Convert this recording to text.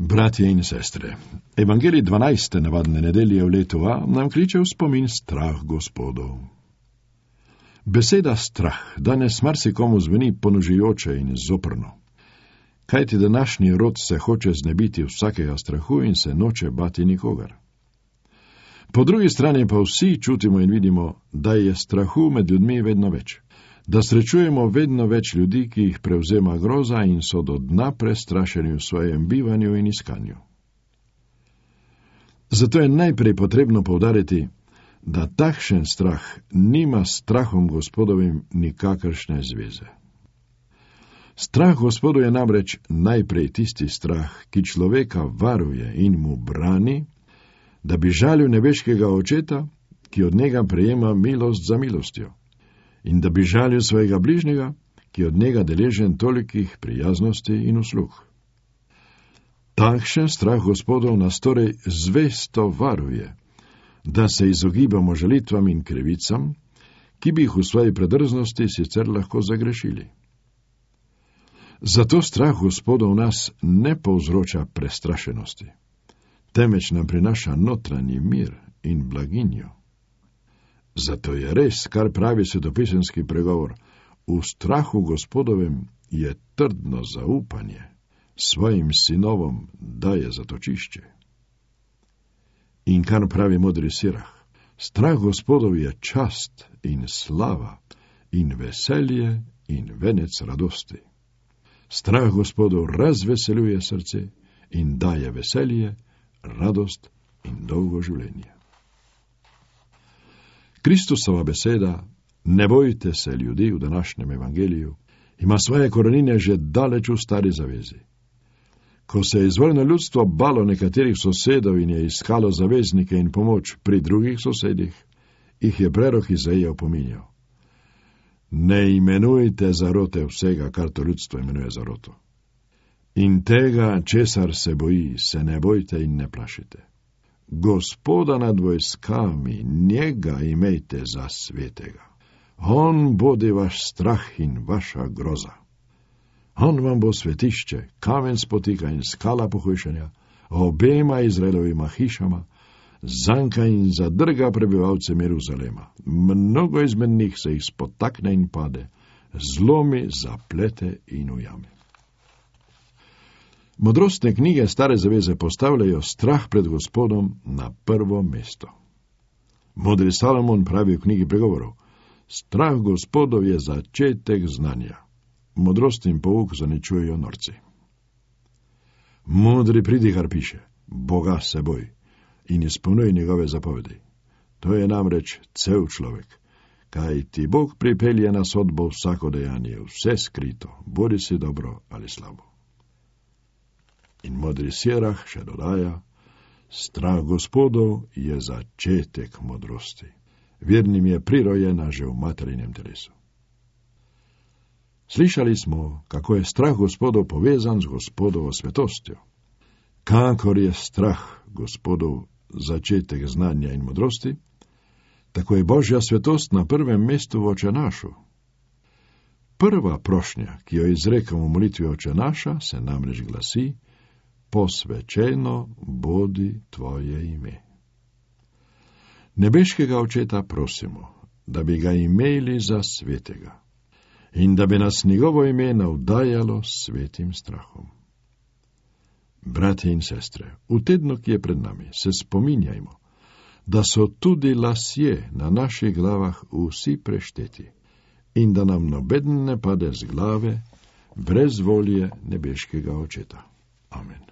Bratje in sestre, Evangelij 12. navadne nedelje v letu A nam kliče v spomin strah Gospodov. Beseda strah danes marsikomu zveni ponožujoče in zoprno. Kajti današnji rod se hoče znebiti vsakega strahu in se noče bati nikogar. Po drugi strani pa vsi čutimo in vidimo, da je strahu med ljudmi vedno več. Da srečujemo vedno več ljudi, ki jih prevzema groza in so do dna prestrašeni v svojem bivanju in iskanju. Zato je najprej potrebno poudariti, da takšen strah nima s strahom Gospodovim nikakršne zveze. Strah Gospodu je namreč najprej tisti strah, ki človeka varuje in mu brani, da bi žalil nebeškega Očeta, ki od njega prejema milost za milostjo, in da bi žalil svojega bližnjega, ki od njega deležen tolikih prijaznosti in uslug. Takšen strah Gospodov nas torej zvesto varuje, da se izogibamo žalitvam in krivicam, ki bi jih v svoji predrznosti sicer lahko zagrešili. Zato strah Gospodov nas ne povzroča prestrašenosti, temveč nam prinaša notranji mir in blaginjo. Zato je res, kar pravi svetopisemski pregovor, v strahu Gospodovem je trdno zaupanje, svojim sinovom daje zatočišče. In kar pravi modri Sirah, strah Gospodov je čast in slava in veselje in venec radosti. Strah Gospodov razveseljuje srce in daje veselje, radost in dolgo življenje. Kristusova beseda, ne bojte se ljudi v današnjem evangeliju, ima svoje korenine že daleč v stari zavezi. Ko se je izvorno ljudstvo balo nekaterih sosedov in je iskalo zaveznike in pomoč pri drugih sosedih, jih je prerok Izaija opominjal. Ne imenujte zarote vsega, kar to ljudstvo imenuje zaroto. In tega, česar se boji, se ne bojte in ne plašite. Gospoda nad vojskami, njega imejte za svetega. On bodi vaš strah in vaša groza. On vam bo svetišče, kamen spotika in skala pohujšanja, obema Izraelovima hišama, zanka in zadrga prebivalcem Jeruzalema. Mnogo izmed njih se jih spotakne in pade, zlomi, zaplete in ujame. Modrostne knjige Stare zaveze postavljajo strah pred Gospodom na prvo mesto. Modri Salomon pravi v knjigi pregovorov, strah Gospodov je začetek znanja. Modrost in pouk zaničujejo norci. Modri pridihar piše, Boga se boj in izpolnjuj njegove zapovedi. To je namreč cel človek, kaj ti Bog pripelje na sodbo vsako dejanje, vse skrito, bodi si dobro ali slabo. In modri Sirah še dodaja, strah Gospodov je začetek modrosti. Vernim je prirojena že v materinem telesu. Slišali smo, kako je strah Gospodov povezan z Gospodovo svetostjo. Kakor je strah Gospodov začetek znanja in modrosti, tako je Božja svetost na prvem mestu v Očenašu. Prva prošnja, ki jo izrekamo v molitvi Očenaša, se namreč glasi, posvečeno bodi tvoje ime. Nebeškega Očeta prosimo, da bi ga imeli za svetega in da bi nas njegovo ime navdajalo s svetim strahom. Bratje in sestre, v tednu, ki je pred nami, se spominjajmo, da so tudi lasje na naših glavah vsi prešteti in da nam nobeden ne pade z glave brez volje nebeškega Očeta. Amen.